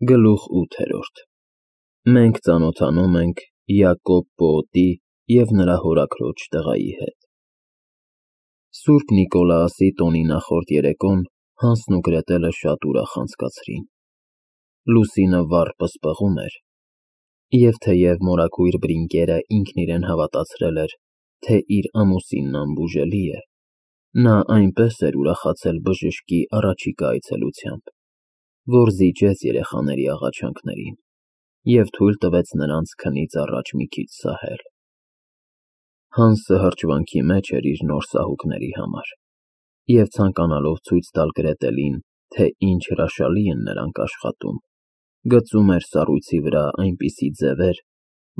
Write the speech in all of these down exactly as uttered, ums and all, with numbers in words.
Գլուխ ութերորդ Մենք ծանոթանում ենք Յակոբ պոետի և նրա հորաքրոջ տղայի հետ։ Սուրբ Նիկոլաոսի տոնի նախորդ երեկոն Հանսն ու Գրետելը շատ ուրախ անցկացրին։ Լուսինը վառ պսպղում էր, և թեև մորաքույր բրինկերը ինքն իրեն հավատացրել էր, թե իր ամուսինն անբուժելի է, նա այնպես էր ուրախացել բժշկի առաջիկա այցելությամբ, որ զիջեց երեխաների աղաչանքներին և թույլ տվեց նրանց քնից առաջ մի քիչ սահել։ Հանսը հրճվանքի մեջ էր իր նոր սահուկների համար և ցանկանալով ցույց տալ Գրետելին, թե ինչ հրաշալի են նրանք աշխատում, գծում էր սառույցի վրա այնպիսի ձևեր,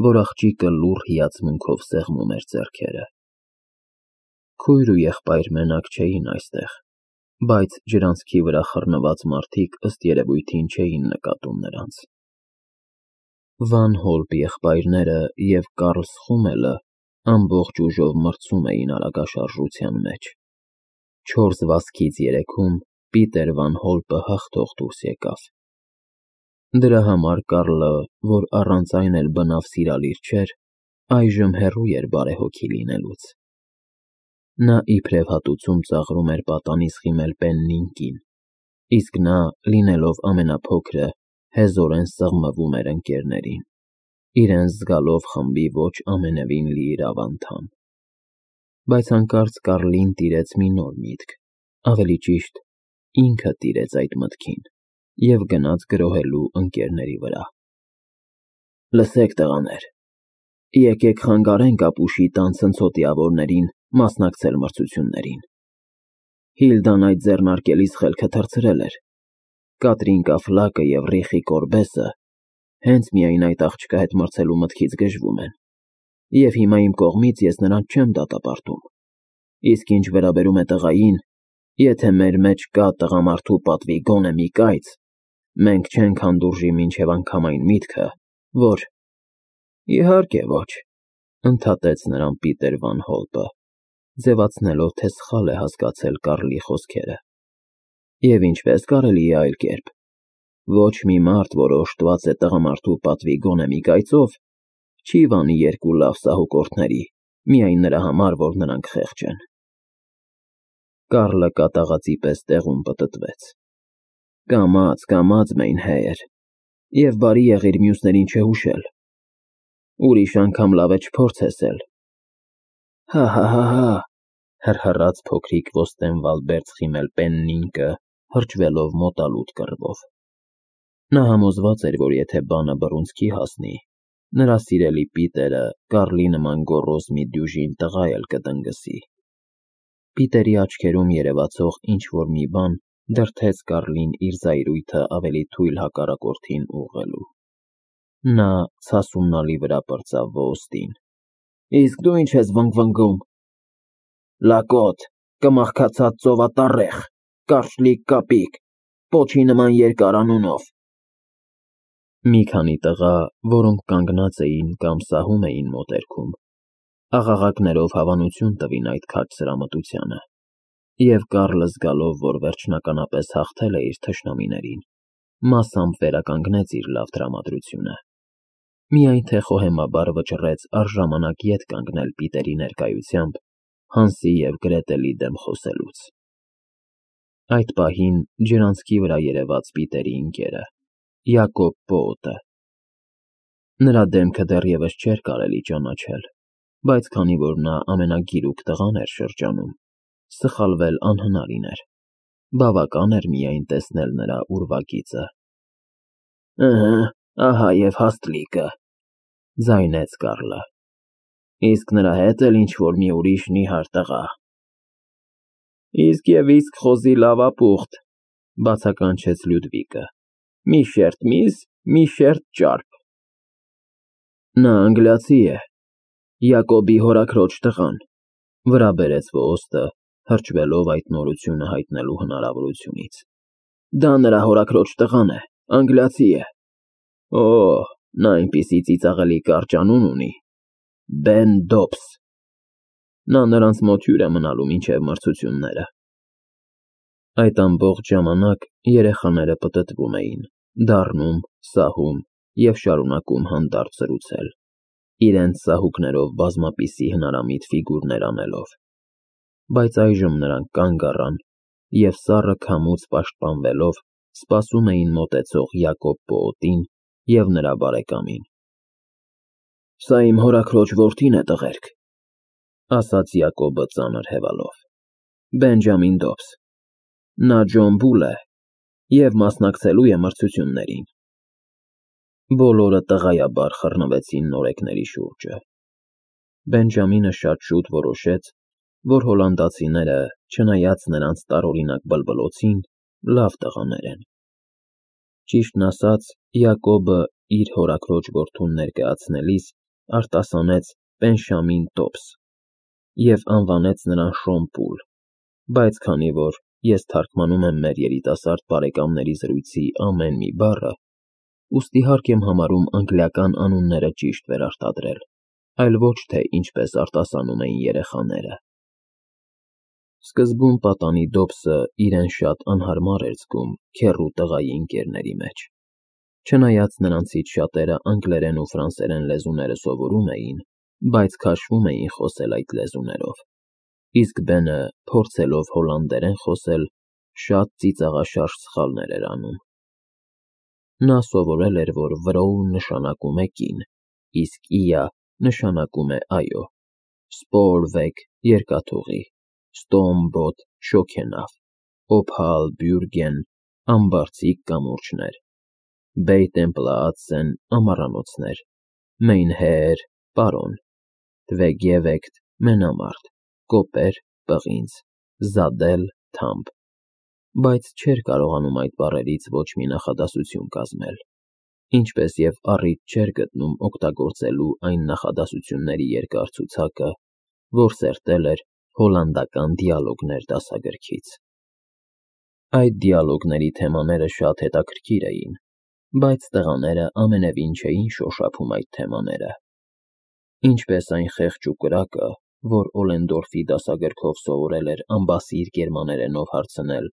որ աղջիկը լուռ հիացմունքով սեղմում էր ձեռքերը։ Քույր ու եղբայր մենակ չէին այստեղ, բայց ջրանցքի վրա խռնված մարդիկ ըստ երևույթին չէին նկատում նրանց։ Վան Հոլպ եղբայրները և Կարլ Սխումելը ամբողջ ուժով մրցում էին արագաշարժության մեջ։ Չորս վազքից երեքում Պիտեր վան Հոլպը հաղթող դուրս եկավ։ Դրա համար Կարլը, որ առանց այն էլ բնավ սիրալիր չէր, այժմ հեռու էր բարեհոգի լինելուց։ Նա իբրև հատուցում ծաղրում էր պատանից խիմել Պեննին կին, իսկ նա, լինելով ամենափոքրը, հեզորեն սղմվում էր ընկերներին, իրեն զգալով խմբի ոչ ամենևին լիիրավ անդամ։ Բայց հանկարծ Կարլին տիրեց մի նոր միտք, ավելի ճիշտ, ինքը տիրեց այդ մտքին և գնաց գրոհելու ընկերների վրա։ Լսեք, տղաներ, եկեք խանգարենք ապուշի տան ցնցոտիավորներին մասնակցել մրցություններին։ Հիլդան այդ ձեռնարկելիս խելքը թռցրել էր։ Կատրինկա Ֆլակը և Ռիխի Կորբեսը հենց միայն այդ աղջկա հետ մրցելու մտքից գժվում են, և հիմա իմ կողմից ես նրանց չեմ դատապարտում, իսկ ինչ վերաբերում է տղային, եթե մեր մեջ կա տղամարդու պատվի գոնե մի կայծ, մենք չենք հանդուրժի մինչև անգամ այն միտքը, որ… Իհարկե ոչ, ընդհատեց նրան Պիտեր վան Հոլպը, ձևացնելով, թե սխալ է հասկացել Կարլի խոսքերը։ Եվ ինչպես կարելի է այլ կերպ, ոչ մի մարդ, որ օժտված է տղամարդու պատվի գոնե մի կայծով, չի վանի երկու լավ սահուկորդների, միայն նրա համար, որ նրանք խեղճ են։ Կարլը կատաղածի պես տեղում պտտվեց։ Կամաց, կամաց, Մեյնհեյր, և բարի եղիր մյուսներին չհուշել, ուրիշ անգամ լավ է չփորձես էլ։ Հա՛֊հա՛֊հա՛, հռհռաց փոքրիկ ոստենվալբերձ խիմել Պեննինկը, հրճվելով մոտալուտ կռվով։ Նա համոզված էր, որ եթե բանը բռունցքի հասնի, նրա սիրելի Պիտերը Կարլի նման գոռոզ մի դյուժին տղա էլ կտնգսի։ Պիտերի աչքերում երևացող ինչ-որ մի բան դրդեց Կարլին իր զայրույթը ավելի թույլ հակառակորդին ուղղելու։ Նա ցասումնալի վրա պրծավ ոստին. Իսկ դու ինչ ես վնգվնգում։ Լակոտ, կմախքացած ծովատառեխ, կարճլիկ կապիկ, պոչի նման երկար անունով։ Մի քանի տղա, որոնք կանգնած էին կամ սահում էին մոտերքում, աղաղակներով հավանություն տվին այդ քաջ սրամտությանը, և Կարլը զգալով, որ վերջնականապես հաղթել է իր թշնամիներին, մասամբ վերականգնեց իր լավ տրամադրությունը, միայն թե խոհեմաբար վճռեց առժամանակ ետ կանգնել Պիտերի ներկայությամբ Հանսի և Գրետելի դեմ խոսելուց։ Այդ պահին ջրանցքի վրա երևաց Պիտերի ընկերը, Յակոբ պոետը։ Նրա դեմքը դեռևս չէր կարելի ճանաչել, բայց քանի որ նա ամենագիրուկ տղան էր շրջանում, սխալվել անհնարին էր, բավական էր միայն տեսնել նրա ուրվագիծը։ Ըհը, ահա և հաստլիկը, ձայնեց Կարլը, իսկ նրա հետ էլ ինչ-որ մի ուրիշ նիհար տղա։ Իսկ և իսկ խոզի լավապուխտ, բացականչեց Լյուդվիկը, մի շերտ միս, մի շերտ ճարպ։ Նա անգլիացի է, Յակոբի հորաքրոջ տղան, վրա բերեց ոստը, հրճվելով այդ նորությունը հայտնելու հնարավորությունից։ Դա նրա հորաքրոջ տղան է, անգլիացի է։ Օ, նա այնպիսի ծիծաղելի կարճ անուն ունի. Բեն Դոբս։ Նա նրանց մոտ հյուր է մնալու մինչև մրցությունները։ Այդ ամբողջ ժամանակ երեխաները պտտվում էին, դառնում, սահում և շարունակում հանդարտ զրուցել, իրենց ծաղուկներով բազմապիսի հնարամիտ ֆիգուրներ անելով, բայց այժմ նրանք կանգ առան և սառը քամուց պաշտպանվելով սպասում էին մոտեցող Յակոբ պոոտին և նրա բարեկամին։ «Սա իմ հորաքրոջ որդին է, տղերք,֊ ասաց Յակոբը ծանր հևալով,֊ Բենջամին Դոբս, նա Ջոն Բուլ է և մասնակցելու է մրցություններին»։ Բոլորը տղայաբար խռնվեցին նորեկների շուրջը։ Բենջամինը շատ շուտ որոշեց, որ հոլանդացիները, չնայած նրանց տարօրինակ բլբլոցին, լավ տղաներ են։ Ճիշտն ասած, Յակոբը իր հորաքրոջ որդուն ներկայացնելիս արտասանեց Պենշամին Տոբս և անվանեց նրան Շոն Պուլ, բայց քանի որ ես թարգմանում եմ մեր երիտասարդ բարեկամների զրույցի ամեն մի բառը, ուստի հարկ եմ համարում անգլիական անունները ճիշտ վերարտադրել, այլ ոչ թե ինչպես արտասանում էին երեխաները։ Սկզբում պատանի Դոբսը իրեն շատ անհարմար էր զգում քեռու տղայի ընկերների մեջ, չնայած նրանցից շատերը անգլերեն ու ֆրանսերեն լեզուները սովորում էին, բայց քաշվում էին խոսել այդ լեզուներով, իսկ Բենը, փորձելով հոլանդերեն խոսել, շատ ծիծաղաշարժ սխալներ էր անում։ Նա սովորել էր, որ Վրոու նշանակում է կին, իսկ Իա նշանակում է այո, Սպոորվեգ երկաթուղի, Ստոմբոտ շոգենավ, Օփալ Բյուրգեն ամբարձիկ կամուրջներ, Բեյտեմպլաացեն ամառանոցներ, Մեյնհեեր պարոն, Դվեգևեկտ մենամարտ, Կոպեր պղինձ, Զադել թամբ, բայց չէր կարողանում այդ բառերից ոչ մի նախադասություն կազմել, ինչպես և առիթ չէր գտնում օգտագործելու այն նախադասությունների երկար ցուցակը, որ սերտել էր հոլանդական դիալոգներ դասագրքից։ Այդ դիալոգների թեմաները շատ հետաքրքիր էին, բայց տղաները ամենևին չէին շոշափում այդ թեմաները, ինչպես այն խեղճ ու կրակը, որ Օլենդորֆի դասագրքով սովորել էր ամբասիր գերմաներենով հարցնել.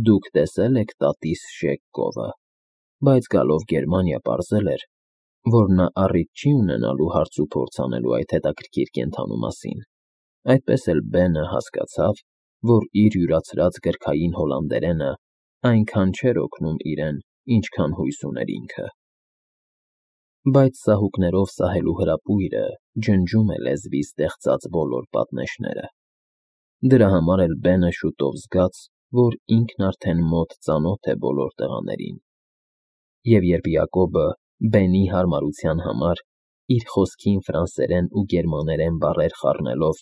«Դուք տեսե՞լ եք տատիս Շեկ կովը», բայց գալով Գերմանիա պարզել էր, որ նա առիթ չի ունենալու հարցուփորձ անելու այդ հետաքրքիր կենդանու մասին, այդպես էլ Բենը հասկացավ, որ իր յուրացրած գրքային հոլանդերենը այնքան չէր օգնում իրեն, ինչքան հույս ուներ ինքը։ Բայց սահուկներով սահելու հրապույրը ջնջում է լեզվի ստեղծած բոլոր պատնեշները։ Դրա համար էլ Բենը շուտով զգաց, որ ինքն արդեն մոտ ծանոթ է բոլոր տղաներին, և երբ Յակոբը, Բենի հարմարության համար, իր խոսքին ֆրանսերեն ու գերմաներեն բառեր խառնելով,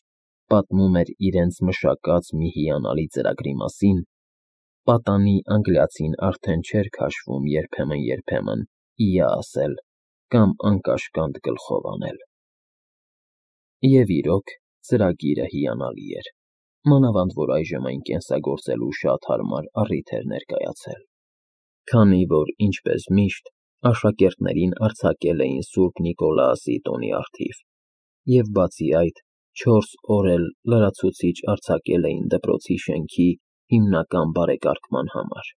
պատմում էր իրենց մշակած մի հիանալի ծրագրի մասին, պատանի անգլիացին արդեն չէր քաշվում երբեմն֊երբեմն «իա» ասել կամ անկաշկանդ գլխով անել։ Եվ իրոք, ծրագիրը հիանալի էր, մանավանդ որ այժմ այն կենսագործելու շատ հարմար առիթ էր ներկայացել, քանի որ, ինչպես միշտ, աշակերտներին արձակել էին Սուրբ Նիկոլաասի տոնի առթիվ, և բացի այդ, չորս օր էլ լրացուցիչ արձակել էին դպրոցի շենքի հիմնական բարեկարգման համար։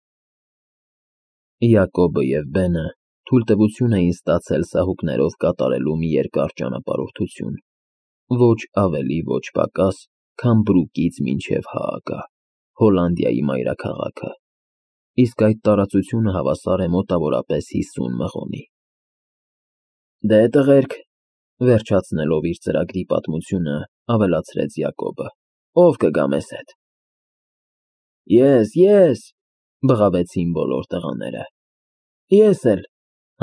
Յակոբը և Բենը թույլտվություն էին ստացել սահուկներով կատարելու մի երկար ճանապարհորդություն, ոչ ավելի, ոչ պակաս, քան Բրուկից մինչև Հաագա, Հոլանդիայի մայրաքաղաքը, իսկ այդ տարածությունը հավասար է մոտավորապես հիսուն մղոնի։ «Դե, տղերք,֊ վերջացնելով իր ծրագրի պատմությունը, ավելացրեց Յակոբը,֊ ո՞վ կգա մեզ հետ»։ «Ես, ես,֊ բղավեցին բոլոր տղաները։ «Ես էլ,֊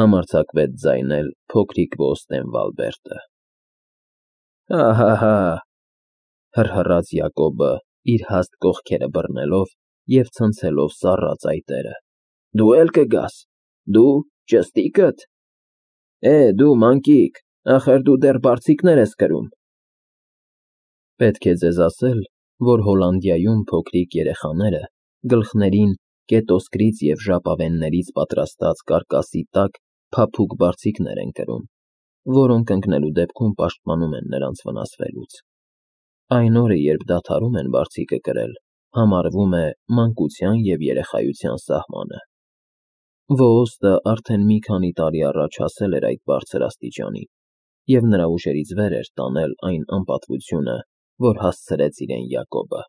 համարձակվեց ձայնել փոքրիկ Ոստեն Վալբերտը։ «Հա՛֊հա՛֊հա՛,֊ հռհռաց Յակոբը իր հաստ կողքերը բռնելով և ցնցելով սառած այտերը,֊ Դու է՞լ կգաս, դու, ճստիկդ… Է, դու, մանկիկ, ախր դու դեռ բարձիկներ ես կրում»։ Պետք է ձեզ ասել, որ Հոլանդիայում փոքրիկ երեխաները գլխներին կետոսկրից և ժապավեններից պատրաստած կարկասի տակ փափուկ բարձիկներ են կրում, որոնք ընկնելու դեպքում պաշտպանում են նրանց վնասվելուց։ Այն օրը, երբ դադարում են բարձիկը կրել, համարվում է մանկության և երեխայության սահմանը։ Ոստը արդեն մի քանի տարի առաջ հասել էր այդ բարձր աստիճանի, և նրա ուժերից վեր էր տանել այն անպատվությունը, որ հասցրեց իրեն Յակոբը։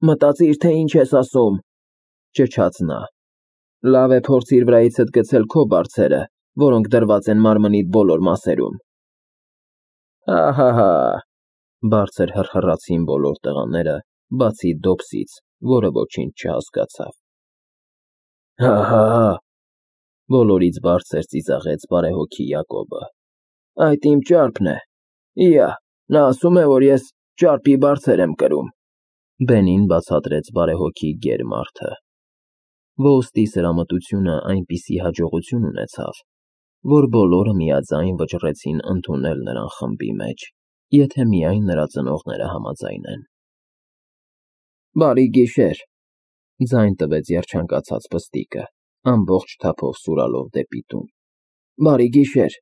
Մտածիր, թե ինչ ես ասում, ճչաց նա։ Լավ է փորձիր վրայիցդ գցել քո բարձերը, որոնք դրված են մարմնիդ բոլոր մասերում։ Ահահա, բարձր հռհռացին բոլոր տղաները, բացի Դոբսից, որը ոչինչ չհասկացավ։ Հա՛֊հա՛֊հա, բոլորից բարձր ծիծաղեց բարեհոգի Յակոբը։ Այդ իմ ճարպն է։ Իա, նա ասում է, որ ես ճարպի բարձր եմ կրում։ Բենին բացատրեց բարեհոգի գեր մարդը։ Ոստի սրամտությունը այնպիսի հաջողություն ունեցավ, որ բոլորը միաձայն վճռեցին ընդունել նրան խմբի մեջ, եթե միայն նրա ծնողները համաձայնեն։ Բարի գիշեր, ձայն տվեց երջանկացած պստիկը, ամբողջ թափով սուրալով դեպի տուն։ Բարի գիշեր։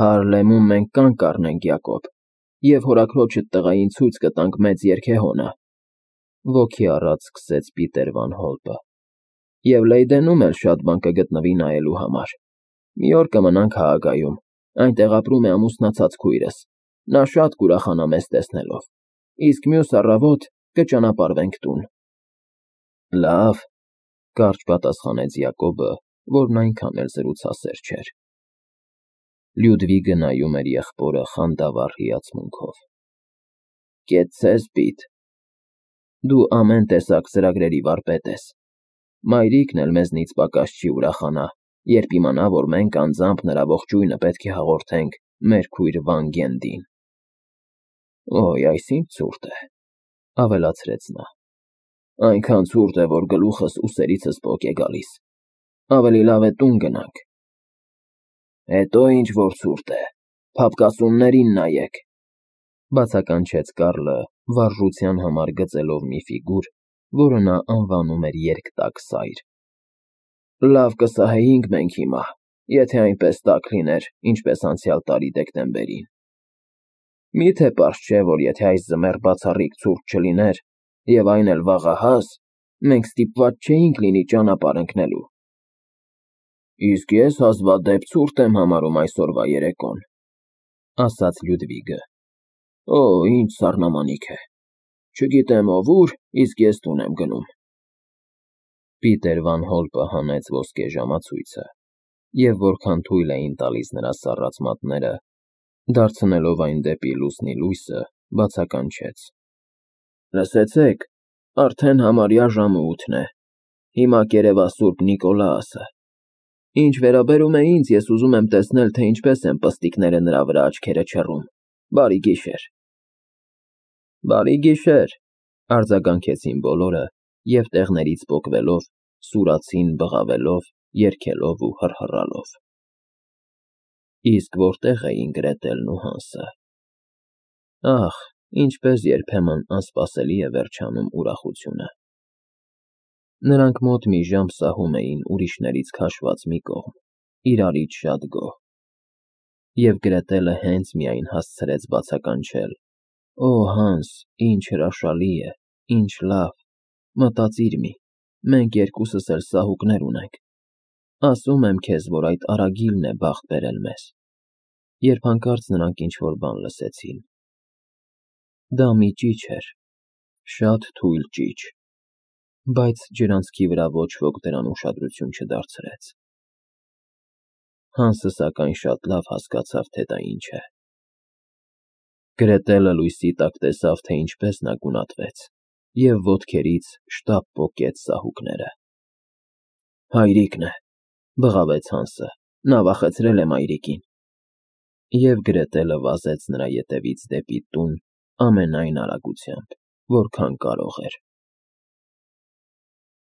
Հարլեմում մենք կանգ առնենք, Յակոբ, և հորաքրոջդ տղային ցույց կտանք մեծ երգեհոնը, ոգի առած սկսեց Պիտեր վան Հոլպը, և Լեյդենում էլ շատ բան կգտնվի նայելու համար։ Մի օր կմնանք Հաագայում, այնտեղ ապրում է ամուսնացած քույրս, նա շատ կուրախանա մեզ տեսնելով, իսկ մյուս առավոտ կճանապարհվենք տուն։ Լավ, կարճ պատասխանեց Յակոբը, որն այնքան էլ զրուցասեր չէր։ Լյուդվիգը նայում էր եղբորը խանդավառ հիացմունքով։ Կեցցես, Պիտ, դու ամեն տեսակ ծրագրերի վարպետ ես։ Մայրիկն էլ մեզնից պակաս չի ուրախանա, երբ իմանա, որ մենք անձամբ նրա ողջույնը պետք է հաղորդենք մեր քույր Վան֊Գենդին։ Օյ, այս ինչ ցուրտ է, ավելացրեց նա։ Այնքան ցուրտ է, որ գլուխս ուսերիցս պոկ է գալիս։ Ավելի լավ է տուն գնանք։ Հետո ինչ որ ցուրտ է, փափկասուններին նայեք, բացականչեց Կարլը, վարժության համար գծելով մի ֆիգուր, որը նա անվանում էր երկտակ սայր։ Լավ կսահեինք մենք հիմա, եթե այնպես տաք լիներ, ինչպես անցյալ տարի դեկտեմբերին։ Միթե պարզ չէ, որ եթե այս ձմեռ բացառիկ ցուրտ չլիներ, և այն էլ վաղահաս, մենք ստիպված չէինք լինի ճանապարհ ընկնելու։ Իսկ ես հազվադեպ ցուրտ եմ համարում այսօրվա երեկոն, ասաց Լյուդվիգը։ Օ, ինչ սառնամանիք է։ Չգիտեմ ով ուր, իսկ ես տուն եմ գնում։ Պիտեր վան Հոլպը հանեց ոսկե ժամացույցը, և որքան թույլ էին տալիս նրա սառած մատները, դարձնելով այն դեպի լուսնի լույսը, բացականչեց. Լսեցեք, արդեն համարյա ժամը ութն է, հիմա կերևա Սուրբ Նիկոլաասը։ Ինչ վերաբերում է ինձ, ես ուզում եմ տեսնել, թե ինչպես են պստիկները նրա վրա աչքերը չռում։ Բարի գիշեր։ Բարի գիշեր, արձագանքեցին բոլորը, և տեղներից պոկվելով, սուրացին բղավելով, երգելով ու հռհռալով։ Իսկ որտե՞ղ էին Գրետելն ու Հանսը։ Ախ, ինչպես երբեմն անսպասելի է վերջանում ուրախությունը։ Նրանք մոտ մի ժամ սահում էին ուրիշներից քաշված մի կողմ, իրարից շատ գոհ։ Եվ Գրետելը հենց միայն հասցրեց բացականչել. Օ, Հանս, ինչ հրաշալի է, ինչ լավ, մտածիր մի, մենք երկուսս էլ սահուկներ ունենք։ Ասում եմ քեզ, որ այդ արագիլն է բախտ բերել մեզ։ Երբ հանկարծ նրանք ինչ-որ բան լսեցին։ Դա մի ճիչ էր, շատ թույլ ճիչ, բայց ջրանցքի վրա ոչ ոք դրան ուշադրություն չդարձրեց։ Հանսը սակայն շատ լավ հասկացավ, թե դա ինչ է։ Գրետելը լույսի տակ տեսավ, թե ինչպես նա գունատվեց, և ոտքերից շտապ պոկեց սահուկները։ Հայրիկն է, բղավեց Հանսը, նա վախեցրել է մայրիկին։ Եվ Գրետելը վազեց նրա ետևից դեպի տուն ամենայն արագությամբ, որքան կարող էր։